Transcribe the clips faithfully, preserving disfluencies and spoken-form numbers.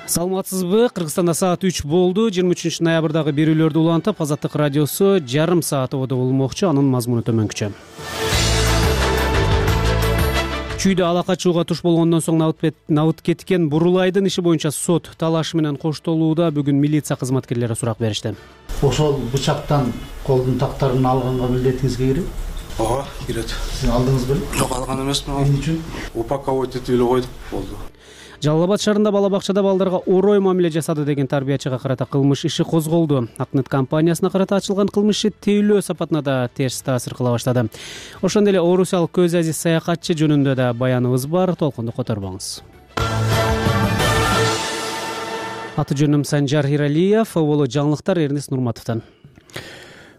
Саламатсызбы? Кыргызстанда саат үч болду. жыйырма үчүнчү ноябрдагы берүүлөрдү улантып, Азаттык радиосу жарым саат ободо болмокчу. Анын мазмуну төмөнкүчө. Чүйдө ала качууга туш болгондон соң набыт кеткен Бурулайдын иши боюнча сот талашы менен коштолууда бүгүн милиция кызматкерлери сурак беришти. Ошол бычактан колдун тактарын алганга милдетиңизге кирет? Ооба, кирет. Сиз алдыңыз беле? Жок, алган эмесмин. Эмне үчүн? Упаковать этип эле койдук, болду. Жалал Абад шаарында бала бакчада балдарга орой мамиле жасады деген тарбиячыга карата кылмыш иши козголду. Акнет компаниясына карата ачылган кылмыш иши тейлөө сапатына да терс таасир кыла баштады. Ошондой эле орусиялык көз азиз саякатчы жөнүндө да баяныбыз бар. Толкунду которбоңуз. Аты жөнүм Санжар Иралиев, боло жаңылыктар Эрнис Нурматовдон.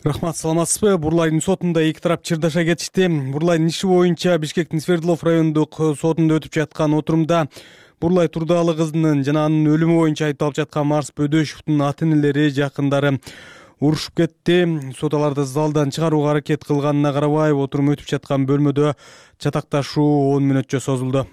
Рахмат, саламатсызбы? Бурулайдын сотунда эки тарап чырдаша кетишти. Бурулайдын иши боюнча Бишкектин Свердлов райондук сотунда өтүп жаткан отурумда Бурулай Турдалы кызынын жана анын өлүмү боюнча айыпталып жаткан Марс Бөдөшевдун ата-энелери, жакындары урушуп кетти. Сот аларды залдан чыгарууга аракет кылганына карабай, отурум өтүп жаткан бөлмөдө чатакташуу он мүнөтчө созулду.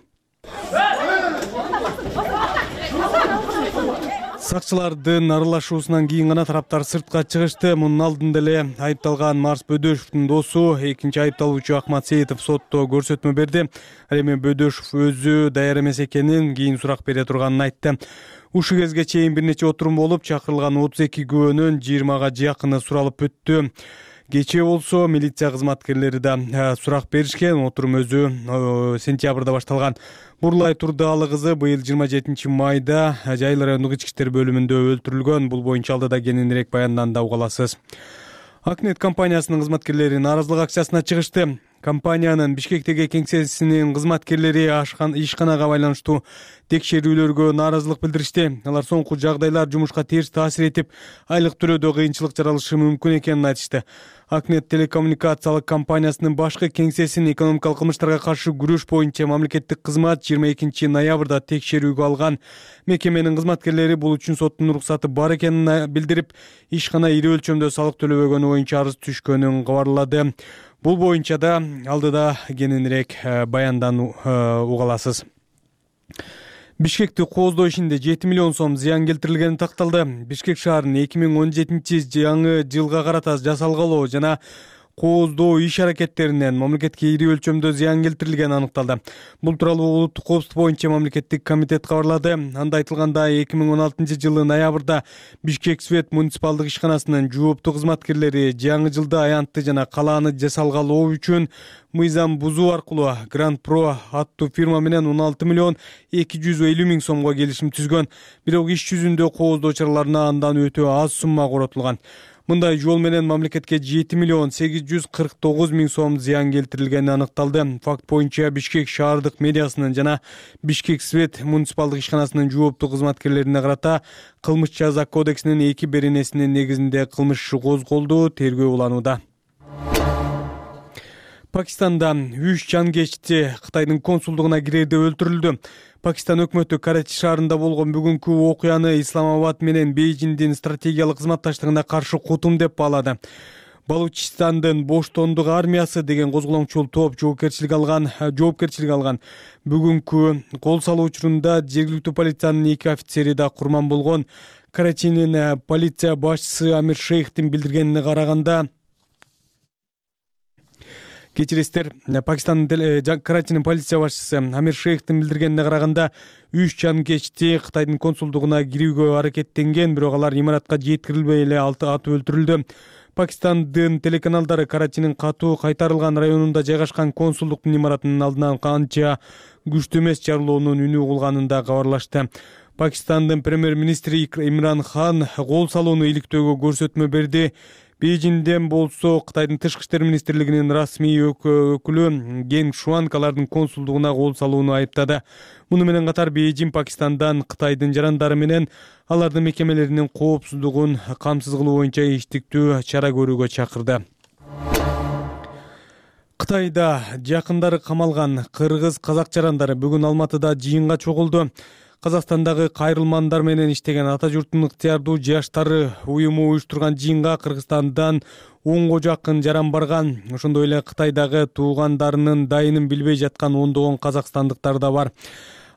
Сакчылардын аралашуусунан кийин гана тараптар сыртка чыгышты. Мунун алдында эле айыпталган Марс Бөдөшевдун досу, экинчи айыпталуучу Акмат Сейитов сотто көрсөтмө берди. Ал эми Бөдөшев өзү даяр эмес экенин, кийин сурак бере турганын айтты. Ушул кезге чейин бир нече отурум болуп, чакырылган отуз эки күбөнүн жыйырмага жакыны суралып өттү. Кечээ болсо милиция кызматкерлери да сурак беришкен. Отурум өзү сентябрда башталган. Бурулай Турдалы кызы быйыл жыйырма жетинчи майда Жайыл райондук ички иштер бөлүмүндө өлтүрүлгөн. Бул боюнча алдыда кененирээк баянданда уга аласыз. Акнет компаниясынын кызматкерлери нааразылык акциясына чыгышты. Компаниянын Бишкектеги кеңсесинин кызматкерлери ишканага байланыштуу текшерүүлөргө нааразылык билдиришти. Алар соңку жагдайлар жумушка терс таасир этип, айлык төлөөдө кыйынчылык жаралышы мүмкүн экенин айтышты. Акнет телекоммуникациялык компаниясынын башкы кеңсесин экономикалык кылмыштарга каршы күрөш боюнча мамлекеттик кызмат жыйырма экинчи ноябрда текшерүүгө алган. Мекеменин кызматкерлери бул үчүн соттун уруксаты бар экенин билдирип, ишкана ири өлчөмдө салык төлөбөгөнү боюнча арыз түшкөнүн кабарлады. Бул боюнча да алдыда кененирээк баяндан уга аласыз. Бишкекти кооздоо ишинде жети миллион сом зыян келтирилгени такталды. Бишкек шаарынын эки миң он жетинчи жаңы жылга карата жасалгалоо жана кооздоо иш аракеттеринен мамлекетке ири өлчөмдө зыян келтирилгени аныкталды. Бул тууралуу улуттук коопсуздук боюнча мамлекеттик комитет кабарлады. Анда айтылгандай, эки миң он алтынчы жылы ноябрда Бишкек Свет муниципалдык ишканасынын жооптуу кызматкерлери жаңы жылда аянтты жана калааны жасалгалоо үчүн мыйзам бузуу аркылуу Гранд Про аттуу фирма менен он алты миллион эки жүз элүү миң сомго келишим түзгөн. Бирок иш жүзүндө кооздоо чараларына андан өтө аз сумма коротулган. Мындай жол менен мамлекетке жети миллион сегиз жүз кырк тогуз миң сом зыян келтирилгени аныкталды. Факт боюнча Бишкек шаардык медиасынын жана Бишкек Свет муниципалдык ишканасынын жооптуу кызматкерлерине карата кылмыш жаза кодексинин эки беренесинин негизинде кылмыш иши козголду, тергөө уланууда. Пакистанда үч жан кечти Кытайдын консулдугуна кирерде өлтүрүлдү. Пакистан өкмөтү Карачи шаарында болгон бүгүнкү окуяны Исламабад менен Бейжиңдин стратегиялык кызматташтыгына каршы кутум деп баалады. Балучистандын Боштондук армиясы деген козголоңчул топ жоопкерчилик алган, жоопкерчилик алган. Бүгүнкү кол салуу учурунда жергиликтүү полициянын эки офицери да курман болгон. Карачинин полиция башчысы Амир Шейхтин билдиргенине караганда, Кечиресиздер, Пакистандын Карачинин полиция башчысы Амир Шейхтин билдиргенине караганда, үч жан кечти Кытайдын консулдугуна кирүүгө аракеттенген, бирок алар имаратка жеткирилбей эле атып өлтүрүлдү. Пакистандын телеканалдары Карачинин катуу кайтарылган районунда жайгашкан консулдуктун имаратынын алдынан канча күчтүү эмес жарылуунун үнү угулганын да кабарлашты. Пакистандын премьер-министри Имран Хан кол салууну иликтөөгө көрсөтмө берди. Бейжиңден болсо Кытайдын тышкы иштер министрлигинин расмий өкүлү Ген Шуанг алардын консулдугуна кол салууну айыптады. Муну менен катар Бейжиң Пакистандан Кытайдын жарандары менен алардын мекемелеринин коопсуздугун камсыз кылуу боюнча иштиктүү чара көрүүгө чакырды. Кытайда жакындары камалган кыргыз казак жарандары бүгүн Алматыда жыйынга чогулду. Казакстандагы кайрылмандар менен иштеген ата журттун ыктыярдуу жаштары уюму уюштурган жыйынга Кыргызстандан онго жакын жаран барган. Ошондой эле Кытайдагы туугандарынын дайынын билбей жаткан ондогон казакстандыктар да бар.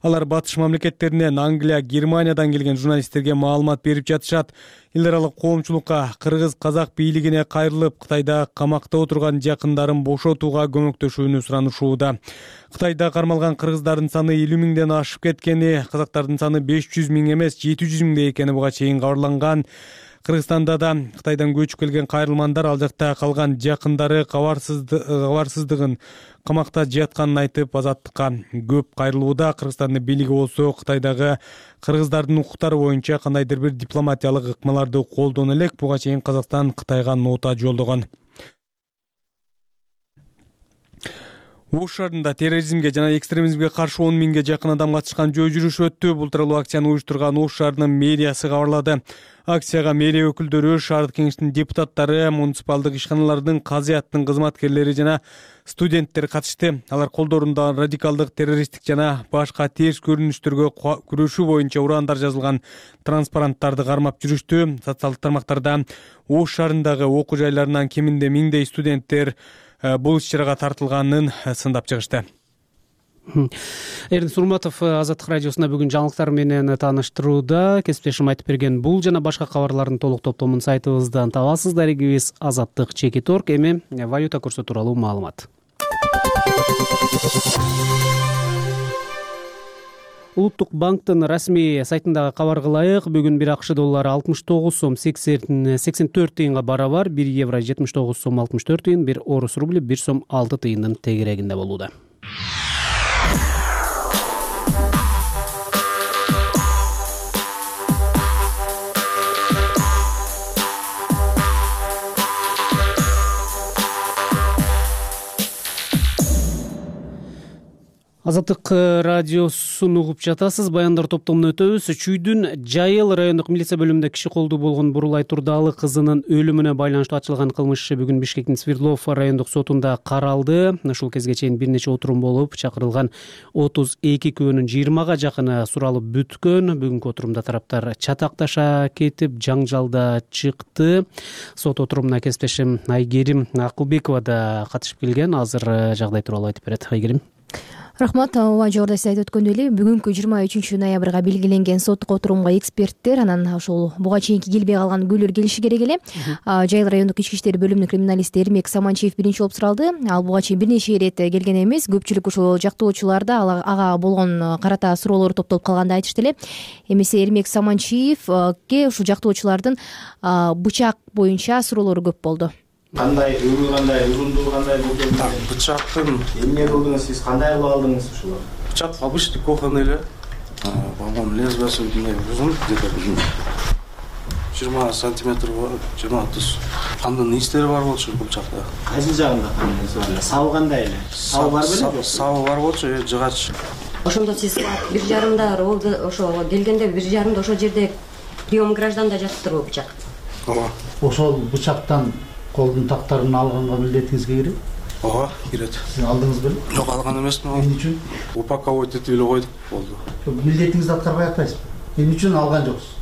Алар батыш мамлекеттеринен Англия, Германиядан келген журналисттерге маалымат берип жатышат. Эл аралык коомчулукка кыргыз казак бийлигине кайрылып, Кытайда камакта отурган жакындарын бошотууга көмөктөшүүнү суранышууда. Кытайда кармалган кыргыздардын саны элүү миңден ашып кеткени, казактардын саны беш жүз миң эмес жети жүз миңде экени буга чейин кабарланган. Кыргызстанда да Кытайдан көчүп келген кайрылмандар ал жакта калган жакындары кабарсыздыгын камакта жатканын айтып, азаттыкка көп кайрылууда. Кыргызстандын бийлиги болсо Кытайдагы кыргыздардын укуктары боюнча кандайдыр бир дипломатиялык ыкмаларды колдоно элек. Буга чейин Казакстан Кытайга нота жолдогон. Ош шаарында терроризмге жана экстремизмге каршы он миңге жакын адам катышкан жөө жүрүш өттү. Бул тууралуу акцияны уюштурган Ош шаарынын мэриясы кабарлады. Акцияга мэрия өкүлдөрү, шаардык кеңештин депутаттары, муниципалдык ишканалардын, казыяттын кызматкерлери жана студенттер катышты. Алар колдорунда радикалдык, террористтик жана башка терс көрүнүштөргө күрөшүү боюнча ураандар жазылган транспаранттарды кармап жүрүштү. Социалдык тармактарда Ош шаарындагы окуу жайларынан кеминде миңдей студенттер бул иш-чарага тартылганын сындап чыгышты. Эрдин Сурматов Азаттык радиосуна бүгүн жаңылыктар менен тааныштырууда. Кесиптешим айтып берген бул жана башка кабарлардын толук топтомун сайтыбыздан табасыз. Дарегибиз Азаттык чекит орг. Эми валюта курсу тууралуу маалымат. Улуттук банктын расмий сайтындагы кабар кылайык. Бүгүн бир АКШ доллары алтымыш тогуз сом сексен төрт тыйынга барабар, бир евро жетимиш тогуз сом алтымыш төрт тыйын, бир орус рубли бир сом алты тыйындын тегерегинде болууда. Азаттык радиосун угуп жатасыз. Баяндар топтомуна өтөбүз. Чүйдүн Жайыл райондук милиция бөлүмүндө киши колдуу болгон Бурулай Турдалы кызынын өлүмүнө байланыштуу ачылган кылмыш иши бүгүн Бишкектин Свердлов райондук сотунда каралды. Ушул кезге чейин бир нече отурум болуп, чакырылган отуз эки күбөнүн жыйырмага жакыны суралып бүткөн. Бүгүнкү отурумда тараптар чатакташа кетип, жаңжалда чыкты. Сот отурумуна кесиптешим Айгерим Акылбекова да катышып келген. Азыр жагдай тууралуу айтып берет. Айгерим. Рахмат. Ооба, жогоруда сиз айтып өткөндөй эле, бүгүнкү жыйырма үчүнчү ноябрга белгиленген соттук отурумга эксперттер, анан ошол буга чейинки келбей калган күбөлөр келиши керек эле. Жайыл райондук ички иштер бөлүмүнүн криминалисти Эрмек Саманчиев биринчи болуп суралды. Ал буга чейин бир нече ирет келген эмес. Көпчүлүк ошол жактоочулар да ага болгон карата суроолор топтолуп калганды айтышты эле. Эмесе Эрмек Саманчиевке ушул жактоочулардын бычак боюнча суроолору көп болду. Кандай өрүү, кандай узундугу, кандай болду? Бычактын эмне кылдыңыз, сиз кандай кылып алдыңыз ушулар? бычак обычный кухонный эле. По-моему, лезвиясы мындай узун, где-то жыйырма сантиметр бар, жыйырма отуз. Кандын истери бар болчу бычакта. Кайсы жагында кандай бар эле? Сабы кандай эле? Сабы бар беле? Сабы бар болчу, жыгач. Ошондо сиз бир жарымда болду, ошо келгенде бир жарымда ошол жерде прием гражданда жатыптырбы бычак? Ооба. Ошол бычактан колдун тактарын алганга милдетиңизге кирет? Ооба, кирет. Сиз алдыңыз беле? Жок, алган эмесмин. Эмне үчүн? Упаковать этип эле койдук, болду. Милдетиңизди аткарбай атпайсызбы? Эмне үчүн алган жоксуз?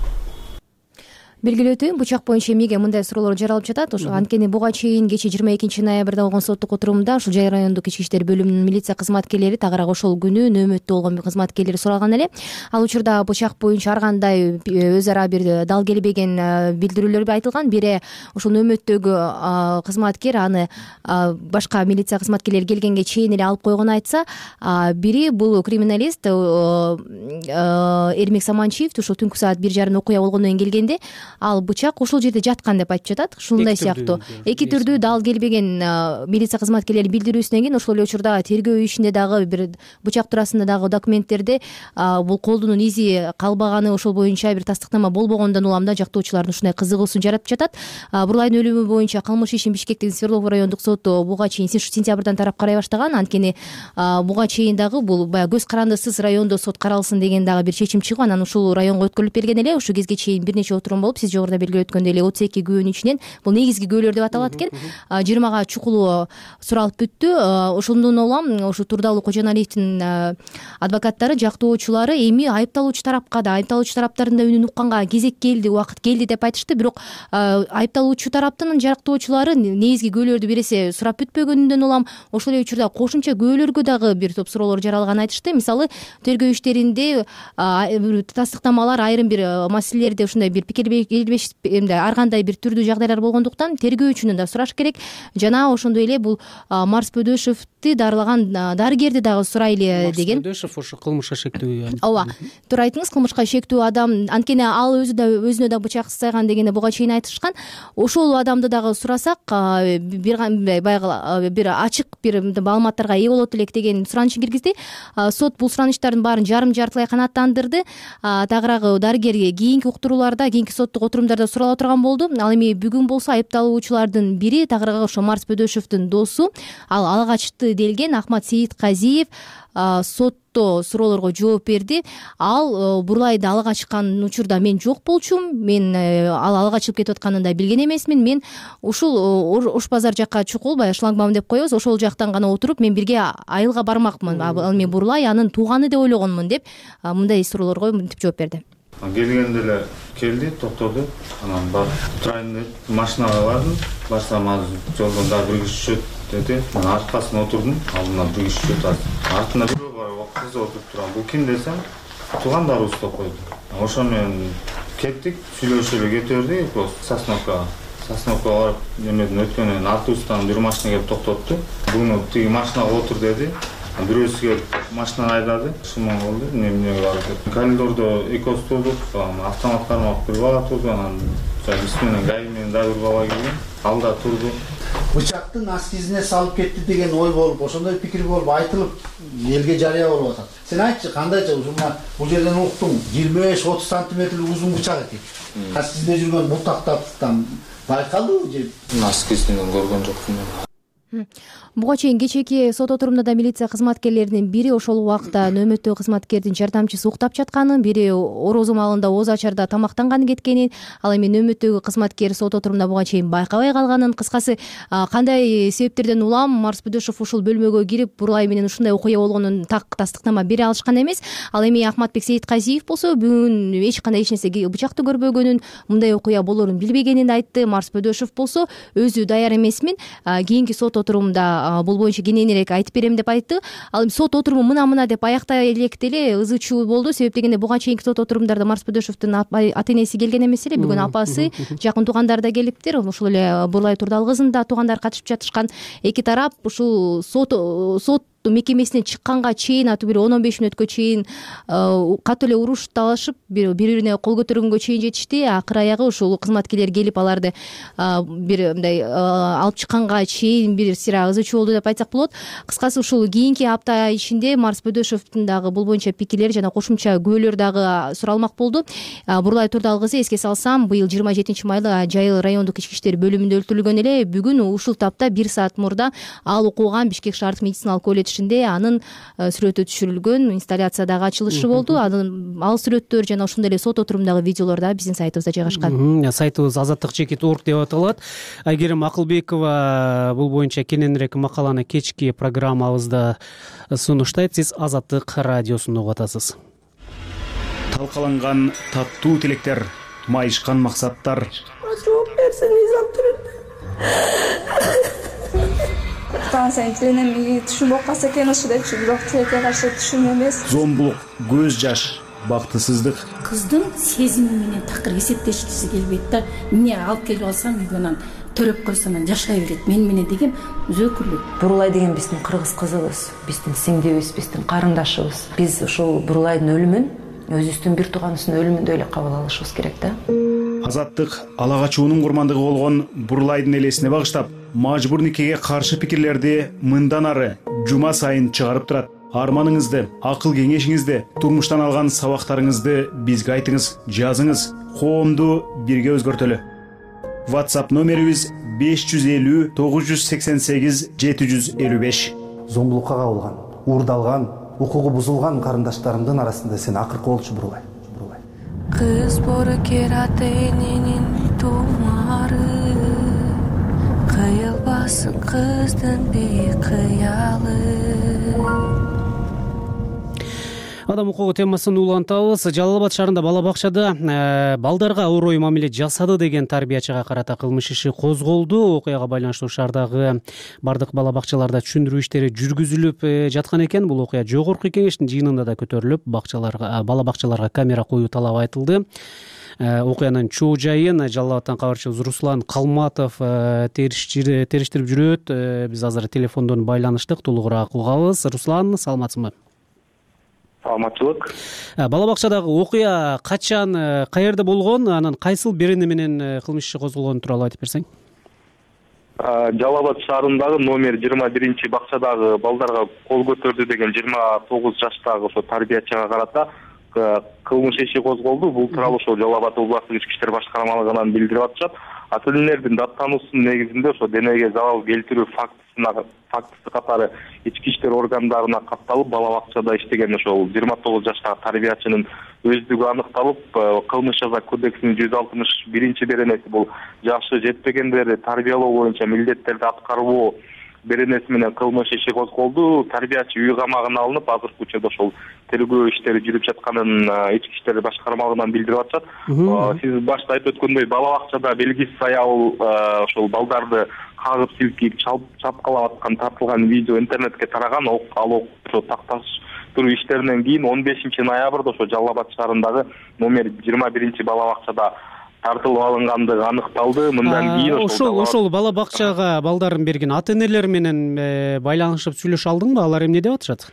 Белгилөөтү бычак боюнча эмнеге мындай суроолор жаралып жатат? Ошо анткени буга чейин кечээ жыйырма экинчи ноябрда болгон соттук отурумда ушул Жайыл райондук ички иштер бөлүмүнүн милиция кызматкерлери, тагыраак ошол күнү нөөмөттө болгон кызматкерлери суралган эле. Ал учурда бычак боюнча ар кандай өз ара бир дал келбеген билдирүүлөр айтылган. Бири ошол нөөмөттөгү кызматкер аны башка милиция кызматкерлери келгенге чейин эле алып койгонун айтса, бири бул криминалист Эрмек Саманчиев ушул түнкү саат бир жарым окуя болгондон кийин келгенде ал бычак ошол жерде жаткан деп айтып жатат. Ушундай сыяктуу эки түрдүү дал келбеген милиция кызматкерлеринин билдирүүсүнөн кийин ошол эле учурда тергөө ишинде дагы бир бычак туурасында дагы документтерде бул колдунун изи калбаганы, ошол боюнча бир тастыктама болбогондон улам да жактоочулардын ушундай кызыгуусун жаратып жатат. Бурулайдын өлүмү боюнча кылмыш ишин Бишкектин Свердлов райондук соту буга чейин сентябрдан тарап карай баштаган. Анткени буга чейин дагы бул баягы көз карандысыз райондо сот каралсын деген дагы бир чечим чыгып, анан ушул районго өткөрүлүп берген эле. Ушул кезге чейин бир нече отурум болуп, жооп. Сиз жогоруда белгилеп өткөндөй эле отуз эки күбөнүн ичинен бул негизги күбөлөр деп аталат экен. жыйырмага чукулуу суралып бүттү. Ошондон улам ушу Турдалуу Кожоналиевдин адвокаттары, жактоочулары эми айыпталуучу тарапка да, айыпталуучу тараптардын да үнүн укканга кезек келди, убакыт келди деп айтышты. Бирок айыпталуучу тараптын жактоочулары негизги күбөлөрдү бересе сурап бүтпөгөнүндөн улам ошол эле учурда кошумча күбөлөргө дагы бир топ суроолор жаралганын айтышты. Мисалы, тергөө иштеринде тастыктамалар айрым бир маселелерде ушундай бир пикир келбеш, ар кандай бир түрдүү жагдайлар болгондуктан тергөөчүнөн да сураш керек. Жана ошондой эле бул Марс Бөдөшевди дарылаган дарыгерди дагы сурайлы деген. Марс Бөдөшев ошо кылмышка шектүү. Ооба, туура айттыңыз, кылмышка шектүү адам. Анткени ал өзү да өзүнө да бычак сайган дегенде буга чейин айтышкан. Ошол адамды дагы сурасак, бир баягы бир ачык бир маалыматтарга ээ болот элек деген суранычын киргизди. Сот бул суранычтардын баарын жарым жартылай канааттандырды. Тагыраагы дарыгер кийинки уктурууларда, кийинки соттук отурумдарда сурала турган болду. Ал эми бүгүн болсо айыпталуучулардын бири, тагыраагы ошо Марс Бөдөшевдин досу, ал ала качты делген Ахмат Сейитказиев сотто суроолорго жооп берди. Ал Бурлайды ала качкан учурда мен жок болчумун, мен ал ала качып кетип атканын да билген эмесмин. Мен ушул Ош базар жакка чукул, баягы шлагбаум деп коебуз, ошол жактан гана отуруп мен бирге айылга бармакмын. Ал эми Бурлай анын тууганы деп ойлогонмун деп мындай суроолорго мынтип жооп берди. Келгенде эле келди, токтоду. Анан барып турайын деп машинага бардым. Барсам азыр жолдон дагы бир киши түшөт деди. Мен аркасына отурдум. Алдыман бир киши түшөт. Артына бирөө бар, кыз отуруп турган. Бул ким десем, туугандарыбыз деп койду. Ошо менен кеттик, сүйлөшүп эле кете бердик. Сосновкага. Сосновкага барып, эмеден өткөндөн автобустан бир машина келип токтотту. Буну тиги машинага отур деди. Бирөөсү келип машинаны айдады. Шуман болду, эмнеге барып. Коридордо экөөбүз турдук, автомат кармап бир бала турду, анан биз менен гай менен дагы бир бала келген. Ал да турду. Бычактын аскизине салып кетти деген ой болуп, ошондой пикир болуп айтылып, элге жарыя болуп атат. Сен айтчы, кандайча ушуна бул жерден уктуң, жыйырма беш отуз сантиметрлик узун бычак экен. Аскизинде жүргөн бутактан байкалдыбы же? Аскизинен көргөн жокмун. Буга чейин кечээки сот отурумда да милиция кызматкерлеринин бири ошол убакта нөөмөттөгү кызматкердин жардамчысы уктап жатканын, бири орозо маалында Оз Ачарда тамактанганы кеткенин, ал эми нөөмөттөгү кызматкер сот отурумда буга чейин байкабай калганын. Кыскасы, кандай себептерден улам Марс Бөдөшев ушул бөлмөгө кирип Бурлай менен ушундай окуя болгонун так тастыктама бере алышкан эмес. Ал эми Ахматбек Сейитказиев болсо бүгүн эч кандай эч нерсе бычакты көрбөгөнүн, мындай окуя болоорун билбегенин айтты. Марс Бөдөшев болсо өзү даяр эмесмин, кийинки сот отурумда бул боюнча кененирээк айтып берем деп айтты. Ал эми сот отуруму мына-мына деп аяктай электе эле ызы чуу болду. Себеп дегенде буга чейинки сот отурумдарда Марс Бөдөшевдин ата энеси келген эмес эле, бүгүн апасы, жакын туугандары да келиптир. Ошол эле Бурлай Турдал кызынын да туугандары катышып жатышкан. Эки тарап ушул сот сот мекемесинен чыкканга чейин, аты бир он он беш мүнөткө чейин катуу эле урушталышып, бири-бирине кол көтөргөнгө чейин жетишти. Акыр аягы ушул кызматкерлер келип аларды бир мындай алып чыкканга чейин бир сыйра ызы чуу болду деп айтсак болот. Кыскасы, ушул кийинки апта ичинде Марс Бөдөшевдин дагы бул боюнча пикирлери жана кошумча күбөлөр дагы суралмак болду. Бурлай Турдал кызы, эске салсам, быйыл жыйырма жетинчи майда Жайыл райондук ички иштер бөлүмүндө өлтүрүлгөн эле. Бүгүн ушул тапта бир саат мурда ал окуган Бишкек шаардык медициналык колледжинде анын сүрөтү түшүрүлгөн инсталляция дагы ачылышы болду. Ал сүрөттөр жана ошондой эле сот отурумдагы видеолор да биздин сайтыбызда жайгашкан. Сайтыбыз азаттык чекит орг деп аталат. Айгерим Акылбекова бул боюнча кененирээк макаланы кечки программабызда сунуштайт. Сиз Азаттык радиосун угуп атасыз. Талкаланган таттуу тилектер, майышкан максаттар. Жооп берсин, Низам Станцияны тиленем, түшүм болуп калса экен ушу депчи, бирок тилекке каршы түшүм эмес. Зомбулук, көз жаш, бактысыздык. Кыздын сезими менен такыр эсептешкиси келбейт да. Эмне алып келип алсам, үйгөнөн төрөп койсом жашай берет. Мен менен деген өзөкүрлүк. Бурлай деген биздин кыргыз кызыбыз, биздин сиңдибиз, биздин карындашыбыз. Биз ушул Бурлайдын өлүмүн өзүбүздүн бир тууганыбыздын өлүмүндөй эле кабыл алышыбыз керек да. Азаттык ала качуунун курмандыгы болгон Бурлайдын элесине багыштап, мажбур никеге каршы пикирлерди мындан ары жума сайын чыгарып турат. Арманыңызды, акыл кеңешиңизди, турмуштан алган сабактарыңызды бизге айтыңыз, жазыңыз. Коомду бирге өзгөртөлү. WhatsApp номерибиз беш жүз элүү тогуз жүз сексен сегиз жети жүз элүү беш. Зомбулукка кабылган, уурдалган, укугу бузулган карындаштарымдын арасында сен акыркы болчу Бурлай. кыз боорукер ата эненин тумары, кыйылбасын кыздын бейкыялы. Адам укугу темасын улантабыз. Жалал Абад шаарында бала бакчада балдарга орой мамиле жасады деген тарбиячыга карата кылмыш иши козголду. Окуяга байланыштуу шаардагы бардык бала бакчаларда түшүндүрүү иштери жүргүзүлүп жаткан экен. Бул окуя жогорку кеңештин жыйынында да көтөрүлүп, бакчаларга бала бакчаларга камера коюу талабы айтылды. Окуянын чоо жайын Жалал Абадтан кабарчыбыз Руслан Калматов териштирип жүрөт. Биз азыр телефондон байланыштык, толугураак угабыз. Руслан, саламатсызбы? Саламатчылык. Бала бакчадагы окуя качан, каерде болгон, анан кайсыл берене менен кылмыш иши козголгону тууралуу айтып берсең? Жалал Абад шаарындагы номер жыйырма биринчи бакчадагы балдарга кол көтөрдү деген жыйырма тогуз жаштагы ошо тарбиячыга карата кылмыш иши козголду. Бул тууралуу ошо Жалал Абад областык ички иштер башкармалыгынан билдирип атышат. Ата энелердин даттануусунун негизинде ошо денеге залал келтирүү фактысына фактысы катары ички иштер органдарына катталып, бала бакчада иштеген ошол жыйырма тогуз жаштагы тарбиячынын өздүгү аныкталып, кылмыш жаза кодексинин жүз алтымыш биринчи беренеси бул жашы жетпегендерди тарбиялоо боюнча милдеттерди аткарбоо беренеси менен кылмыш иши козголду. Тарбиячы үй камагына алынып, азыркы учурда ошол тергөө иштери жүрүп жатканын ички иштер башкармалыгынан билдирип атышат. Сиз башта айтып өткөндөй, бала бакчада белгисиз аял ошол балдарды кагып силкип, чапкалап аткан тартылган видео интернетке тараган. Ал ошо такташтыруу иштеринен кийин он бешинчи ноябрда ошо Жалал Абад шаарындагы номер жыйырма биринчи бала бакчада тартылып алынгандыгы аныкталды. Мындан кийин ошол ошол бала бакчага балдарын берген ата энелер менен байланышып сүйлөшө алдыңбы? Алар эмне деп атышат?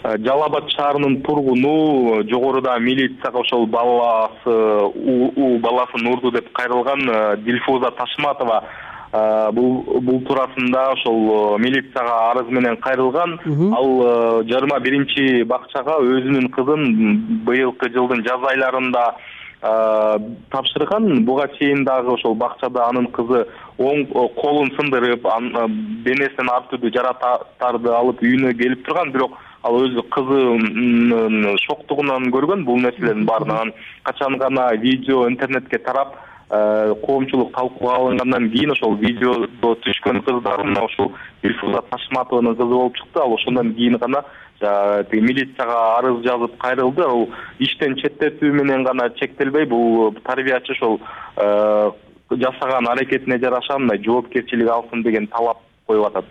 Жалал Абад шаарынын тургуну жогоруда милицияга ошол баласы у баласын урду деп кайрылган Дилфуза Ташматова бул бул туурасында ошол милицияга арыз менен кайрылган. Ал жыйырма биринчи бакчага өзүнүн кызын быйылкы жылдын жаз айларында тапшырган. Буга чейин дагы ошол бакчада анын кызы оң колун сындырып, денесинен ар түрдүү жаракаттарды алып үйүнө келип турган. Бирок ал өзү кызынын шоктугунан көргөн бул нерселердин баарын. Анан качан гана видео интернетке тарап, коомчулук талкууга алынгандан кийин ошол видео түшкөн кыздар мына ошол Дилфуза Ташматованын кызы болуп чыкты. Ал ошондон кийин гана милицияга арыз жазып кайрылды. Ал иштен четтетүү менен гана чектелбей, бул тарбиячы ошол жасаган аракетине жараша мындай жоопкерчилик алсын деген талап коюп атат.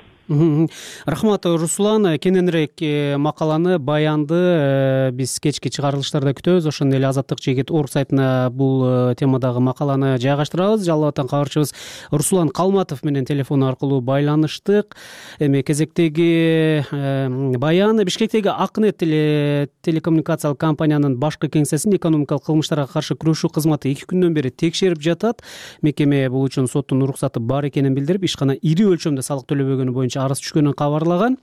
Рахмат, Руслан. Кененирээк макаланы, баянды биз кечки чыгарылыштарда күтөбүз. Ошондой эле Азаттык жегит орг сайтына бул темадагы макаланы жайгаштырабыз. Жалал Абадтан кабарчыбыз Руслан Калматов менен телефон аркылуу байланыштык. Эми кезектеги баян Бишкектеги Акнет телекоммуникациялык компаниянын башкы кеңсесин экономикалык кылмыштарга каршы күрөшүү кызматы эки күндөн бери текшерип жатат. Мекеме бул үчүн соттун уруксаты бар экенин билдирип, ишкана ири өлчөмдө салык төлөбөгөнү боюнча арыз түшкөнүн кабарлаган.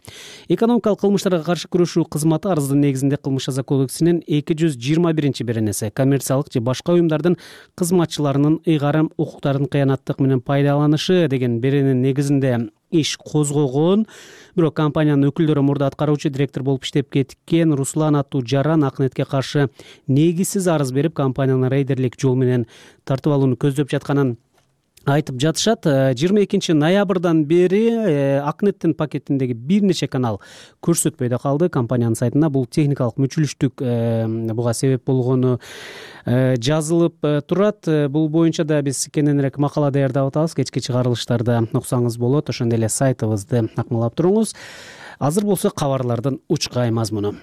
Экономикалык кылмыштарга каршы күрөшүү кызматы арыздын негизинде Кылмыш жаза кодексинин эки жүз жыйырма биринчи беренеси коммерциялык же башка уюмдардын кызматчыларынын ыйгарым укуктарын кыянаттык менен пайдаланышы деген берененин негизинде иш козгогон. Бирок компаниянын өкүлдөрү мурда аткаруучу директор болуп иштеп кеткен Руслан аттуу жаран Акнетке каршы негизсиз арыз берип, компаниянын рейдерлик жол менен тартып алууну көздөп жатканын айтып жатышат. жыйырма экинчи ноябрдан бери Акнеттин пакетиндеги бир нече канал көрсөтпөй да калды. Компаниянын сайтына бул техникалык мүчүлүштүк буга себеп болгону жазылып турат. Бул боюнча да биз кененирээк макала даярдап атабыз. Кечки чыгарылыштарда уксаңыз болот. Ошондой эле сайтыбызды акмалап туруңуз. Азыр болсо кабарлардын учкай мазмуну.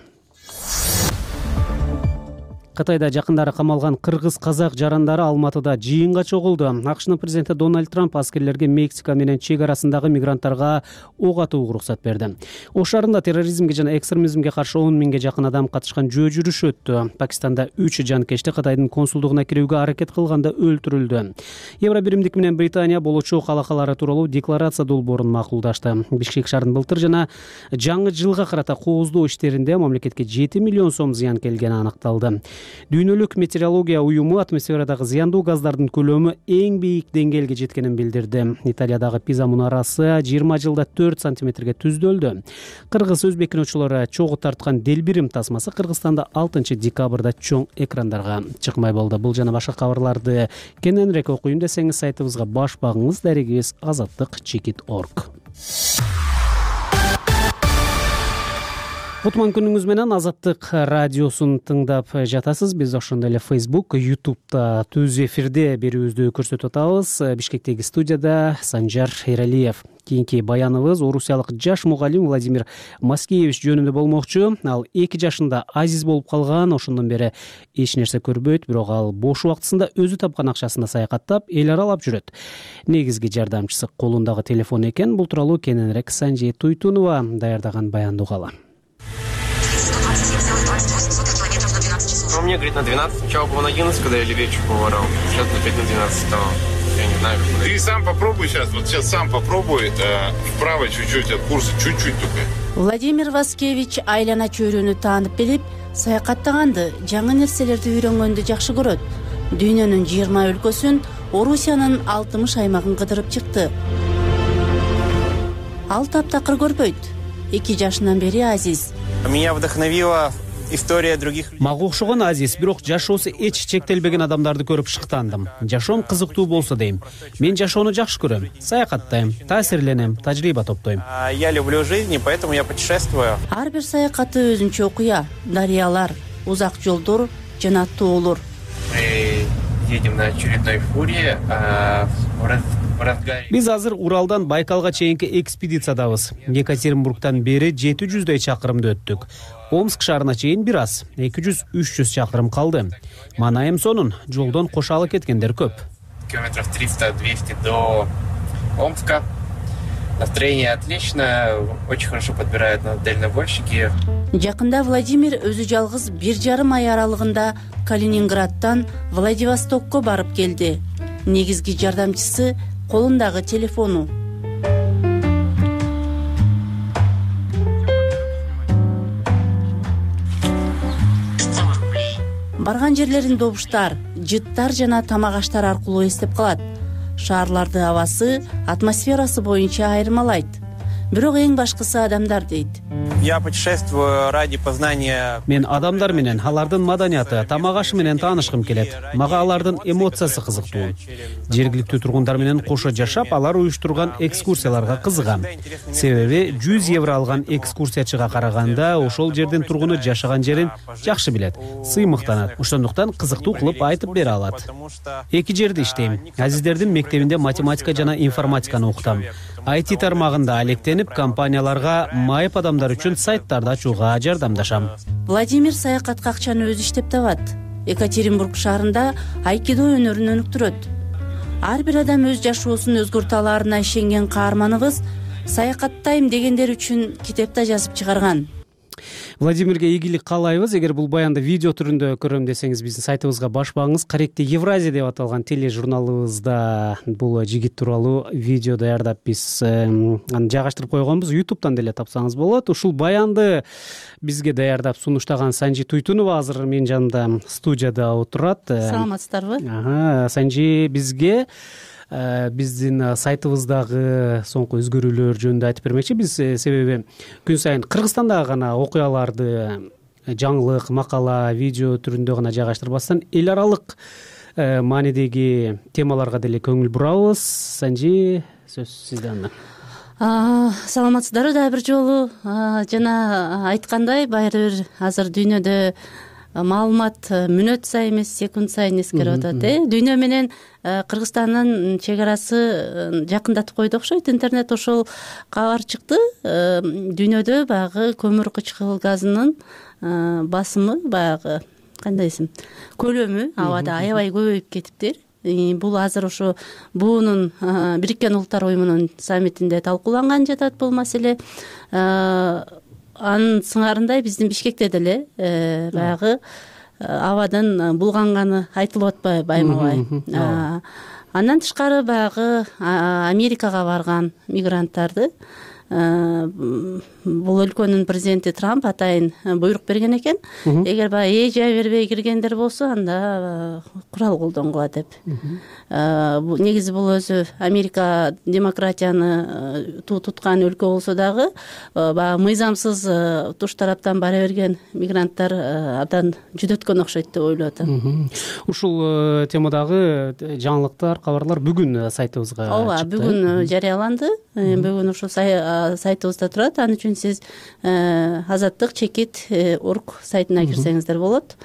Кытайда жакындары камалган кыргыз казак жарандары Алматыда жыйынга чогулду. АКШнын президенти Дональд Трамп аскерлерге Мексика менен чек арасындагы мигранттарга ок атууга уруксат берди. Ош шаарында терроризмге жана экстремизмге каршы он миңге жакын адам катышкан жөө жүрүш өттү. Пакистанда үч жанкечти Кытайдын консулдугуна кирүүгө аракет кылганда өлтүрүлдү. Евро биримдик менен Британия болочок алакалары тууралуу декларация долбоорун макулдашты. Бишкек шаарынын былтыр жана жаңы жылга карата кооздоо иштеринде мамлекетке жети миллион сом зыян келгени аныкталды. Дүйнөлүк метеорология уюму атмосферадагы зыяндуу газдардын көлөмү эң бийик деңгээлге жеткенин билдирди. Италиядагы Пиза мунарасы жыйырма жылда төрт сантиметрге түздөлдү. Кыргыз өзбек киночулары чогуу тарткан Делбирим тасмасы Кыргызстанда алтынчы декабрда чоң экрандарга чыкмай болду. Бул жана башка кабарларды кененирээк окуйм десеңиз сайтыбызга баш багыңыз. Дарегибиз азаттык чекит точка орг. Кутман күнүңүз менен Азаттык радиосун тыңдап жатасыз. Биз ошондой эле Facebook, YouTube'да түз эфирде берүүбүздү көрсөтүп атабыз. Бишкектеги студияда Санжар Эралиев. Кийинки баяныбыз орусиялык жаш мугалим Владимир Маскевич жөнүндө болмокчу. Ал эки жашында азиз болуп калган, ошондон бери эч нерсе көрбөйт, бирок ал бош убактысында өзү тапкан акчасына саякаттап, эл аралап жүрөт. Негизги жардамчысы колундагы телефон экен. Бул тууралуу кененирээк Санжи Туйтунова даярдаган баянды угалы. Ну, мне, говорит, на двенадцать. Сначала было на одиннадцать, когда я левечку поворал. Сейчас на пять на двенадцать стало. Я не знаю, как... Ты сам попробуй сейчас, вот сейчас сам попробуй, э, вправо чуть-чуть от курса, чуть-чуть только. Владимир Васкевич айлана чөйрөнү таанып билип, саякаттаганды, жаңы нерселерди үйрөнгөндү жакшы көрөт. Дүйнөнүн жыйырма өлкөсүн, Орусиянын алтымыш аймагын кыдырып чыкты. Ал таптакыр көрбөйт. эки жашынан бери азиз. Меня вдохновила история других людей. Мага окшогон азиз, бирок жашоосу эч чектелбеген адамдарды көрүп шыктандым. Жашоом кызыктуу болсо дейм. Мен жашоону жакшы көрөм, саякаттайм, таасирленем, тажрыйба топтойм. Я люблю жизнь, поэтому я путешествую. Ар бир саякаты өзүнчө окуя, дарыялар, узак жолдор жана тоолор. Мы едем на очередной фуре. Биз азыр Уралдан Байкалга чейинки экспедициядабыз. Екатеринбургтан бери жети жүздөй чакырымды өттүк. Омск шаарына чейин бир аз, эки жүз үч жүз чакырым калды. Манайым сонун, жолдон кошалы кеткендер көп. Километров триста-двести до Омска. Настроение отлично, очень хорошо подбирают нас дальнобойщики. Жакында Владимир өзү жалгыз бир жарым ай аралыгында Калининградтан Владивостокко барып келди. Негизги жардамчысы колундагы телефону. Барган жерлерин добуштар, жыттар жана тамак аштар аркылуу эстеп калат. Шаарларды абасы, атмосферасы боюнча айырмалайт. Бирок эң башкысы адамдар дейт. Я путешествую ради познания. Мен адамдар менен, алардын маданияты, тамак ашы менен таанышкым келет. Мага алардын эмоциясы кызыктуу. Жергиликтүү тургундар менен кошо жашап, алар уюштурган экскурсияларга кызыгам. Себеби жүз евро алган экскурсиячыга караганда ошол жердин тургуну жашаган жерин жакшы билет, сыймыктанат. Ошондуктан кызыктуу кылып айтып бере алат. Эки жерде иштейм. Азиздердин мектебинде математика жана информатиканы окутам. ай ти тармагында алектенип, компанияларга майып адамдар үчүн сайттарды ачууга жардамдашам. Владимир саякатка акчаны өзү иштеп табат. Екатеринбург шаарында айкидо өнөрүн өнүктүрөт. Ар бир адам өз жашоосун өзгөртө аларына ишенген каарманыбыз саякаттайм дегендер үчүн китеп да жазып чыгарган. Владимирге ийгилик каалайбыз. Эгер бул баянды видео түрүндө көрөм десеңиз, биздин сайтыбызга баш багыңыз. Каректи Евразия деп аталган тележурналыбызда бул жигит тууралуу видео даярдап биз аны жайгаштырып койгонбуз. YouTube'дан деле тапсаңыз болот. Ушул баянды бизге даярдап сунуштаган Санжи Туйтунова азыр менин жанымда студияда отурат. Саламатсыздарбы? Ага, Санжи бизге биздин сайтыбыздагы соңку өзгөрүүлөр жөнүндө айтып бермекчи. Биз себеби күн сайын Кыргызстандагы гана окуяларды жаңылык, макала, видео түрүндө гана жайгаштырбастан эл аралык маанидеги темаларга деле көңүл бурабыз. Санжи, сөз сизде анда. Саламатсыздарбы дагы бир жолу. Жана айткандай, баары бир азыр дүйнөдө маалымат мүнөт сайын эмес, секунд сайын эскерип атат. Дүйнө менен Кыргызстандын чек арасы жакындатып койду окшойт. Интернет ошол кабар чыкты. Дүйнөдө баягы көмүр кычкыл газынын басымы, баягы кандай десем, көлөмү абада аябай көбөйүп кетиптир. Бул азыр ошо буунун Бириккен Улуттар уюмунун саммитинде талкууланган жатат бул маселе. Анын сыңарындай биздин Бишкекте деле баягы абадын булганганы айтылып атпайбы айма-бай. Андан тышкары баягы Америкага барган мигранттарды бул өлкөнүн президенти Трамп атайын буйрук берген экен. Эгер баягы эже бербей киргендер болсо, анда курал колдонгула деп. Негизи бул өзү Америка демократияны туткан өлкө болсо дагы, баягы мыйзамсыз туш тараптан бара берген мигранттар абдан жүдөткөн окшойт деп ойлоп атам. Ушул темадагы жаңылыктар, кабарлар бүгүн сайтыбызга чыкты. Ооба, бүгүн жарыяланды. Бүгүн ушул сайтыбызда турат. Ал үчүн сиз азаттык чекит орг сайтына кирсеңиздер болот.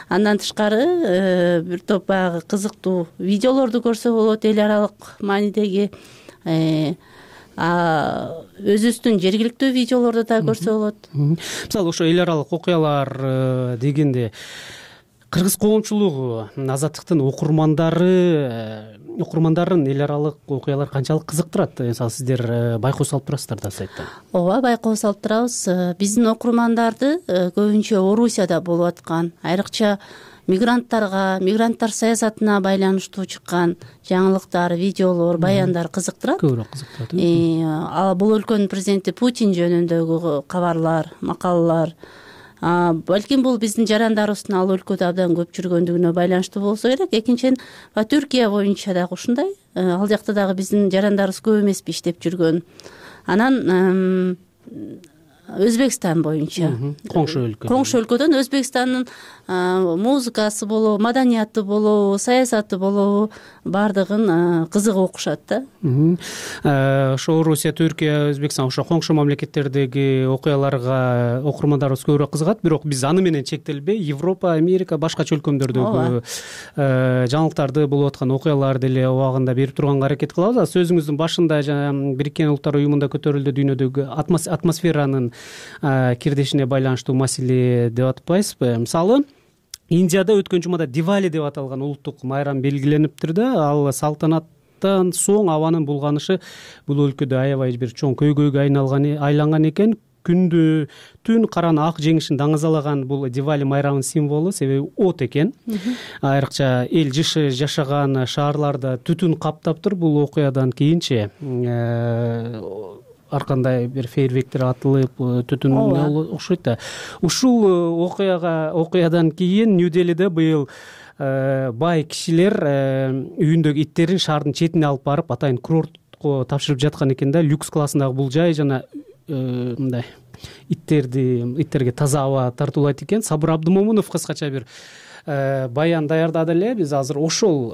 Андан тышкары бир топ баягы кызыктуу видеолорду көрсө болот, эл аралык маанидеги өзүбүздүн жергиликтүү видеолорду да көрсө болот. Мисалы ошо эл аралык окуялар дегенде кыргыз коомчулугу, азаттыктын окурмандары окурмандарын эл аралык окуялар канчалык кызыктырат? Мисалы сиздер байкоо салып турасыздар да сайтта. Ооба, байкоо салып турабыз. Биздин окурмандарды көбүнчө Орусияда болуп аткан, айрыкча мигранттарга, мигранттар саясатына байланыштуу чыккан жаңылыктар, видеолор, баяндар кызыктырат. Көбүрөөк кызыктырат. Ал бул өлкөнүн президенти Путин жөнүндөгү кабарлар, макалалар, балким бул биздин жарандарыбыздын ал өлкөдө абдан көп жүргөндүгүнө байланыштуу болсо керек. Экинчиден, Түркия боюнча дагы ушундай. Ал жакта дагы биздин жарандарыбыз көп эмеспи иштеп жүргөн. Анан Өзбекстан боюнча, коңшу өлкө. Коңшу өлкөдөн Өзбекстандын музыкасы болобу, маданияты болобу, саясаты болобу, бардыгын кызыгып окушат да. Ошо Орусия, Түркия, Өзбекстан, ошо коңшу мамлекеттердеги окуяларга окурмандарыбыз көбүрөөк кызыгат. Бирок биз аны менен чектелбей, Европа, Америка, башка чөлкөмдөрдөгү жаңылыктарды болуп аткан окуялар деле убагында берип турганга аракет кылабыз. Сөзүңүздүн башында Бириккен Улуттар уюмунда көтөрүлдү дүйнөдөгү атмосферанын кирдешине байланыштуу маселе деп атпайсызбы? Мисалы, Индияда өткөн жумада Дивали деп аталган улуттук майрам белгилениптир да. Ал салтанаттан соң абанын булганышы бул өлкөдө аябай бир чоң көйгөйгө айналган айланган экен. Күндү түн караны ак жеңишин даңазалаган бул Дивали майрамынын символу, себеби от экен. Айрыкча эл жышы жашаган шаарларда түтүн каптаптыр. Бул окуядан кийинчи ар кандай бир фейерверктер атылып, түтүн окшойт да. Ушул окуяга окуядан кийин Нью-Делиде быйыл бай кишилер үйүндөгү иттерин шаардын четине алып барып, атайын курортко тапшырып жаткан экен да. Люкс классындагы бул жай жана мындай иттерди иттерге таза аба тартуулайт экен. Сабыр Абдымомунов кыскача бир баян даярдады эле. Биз азыр ошол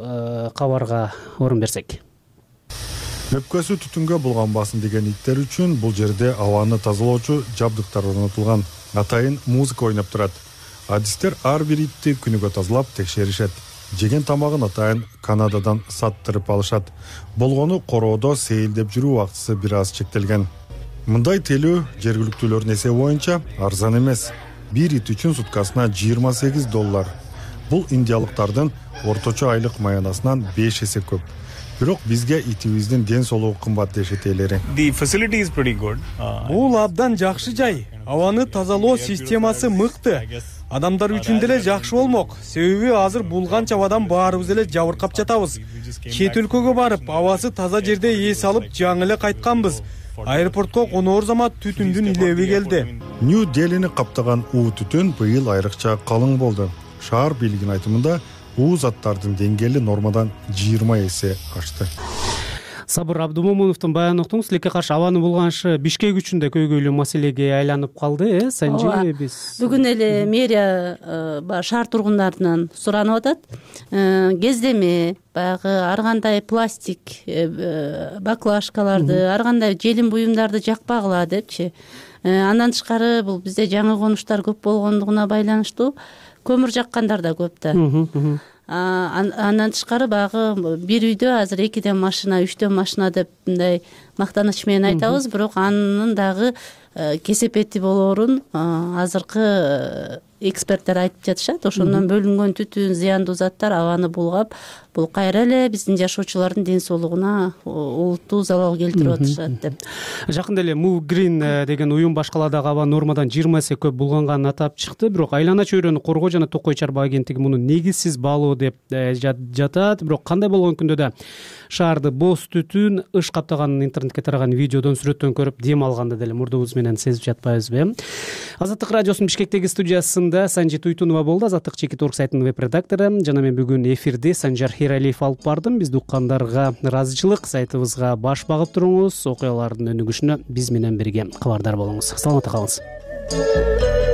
кабарга орун берсек. Өпкөсү түтүнгө булганбасын деген иттер үчүн бул жерде абаны тазалоочу жабдыктар орнотулган. Атайын музыка ойноп турат. Адистер ар бир итти күнүгө тазалап текшеришет. Жеген тамагын атайын Канададан саттырып алышат. Болгону короодо сейилдеп жүрүү убактысы бир аз чектелген. Мындай телөө жергиликтүүлөрдүн эсеби боюнча арзан эмес. Бир ит үчүн суткасына жыйырма сегиз доллар. Бул индиялыктардын орточо айлык маянасынан беш эсе көп. Бирок бизге итибиздин ден соолугу кымбат дешет элери. Бул абдан жакшы жай. Абаны тазалоо системасы мыкты. Адамдар үчүн деле жакшы болмок. Себеби азыр булганча абадан баарыбыз эле жабыркап жатабыз. Чет өлкөгө барып, абасы таза жерде эс алып, жаңы эле кайтканбыз. Аэропортко коноор замат түтүндүн илеби келди. Нью-Делини каптаган уу түтүн быйыл айрыкча калың болду. Шаар бийлигинин айтымында уу заттардын деңгээли нормадан жыйырма эсе ашты. Сабыр Абдымомуновдун баянын уктуңуз. Тилекке каршы абанын булганышы Бишкек үчүн да көйгөйлүү маселеге айланып калды, э? Санжи биз бүгүн эле мэрия шаар тургундарынан суранып атат. Кездеме, баягы ар кандай пластик баклажкаларды, ар кандай желим буюмдарды жакпагыла депчи. Андан тышкары бул бизде жаңы конуштар көп болгондугуна байланыштуу көмүр жаккандар да көп да. Андан тышкары баягы бир үйдө азыр экиден машина, үчтөн машина деп мындай мактаныч менен айтабыз, бирок анын дагы кесепети болоорун азыркы эксперттер айтып жатышат. Ошондон бөлүнгөн түтүн, зыяндуу заттар абаны булгап, бул кайра эле биздин жашоочулардын ден соолугуна олуттуу залал келтирип атышат деп. Жакында эле Move Green деген уюм баш каладагы аба нормадан жыйырма эсе көп булганганын атап чыкты. Бирок айлана чөйрөнү коргоо жана токой чарба агенттиги муну негизсиз баалоо деп жатат. Бирок кандай болгон күндө да шаарды боз түтүн ыш каптаганын интернетке тараган видеодон сүрөттөн көрүп дем алганда деле мурдубуз менен сезип жатпайбызбы? Азаттык радиосунун Бишкектеги студиясында Санжи Туйтунова болду, Азаттык чекит орг сайтынын веб редактору. Жана мен бүгүн эфирди Санжар Хиралиев алып бардым. Бизди уккандарга ыраазычылык, сайтыбызга баш багып туруңуз, окуялардын өнүгүшүнө биз менен бирге кабардар болуңуз. Саламатта калыңыз.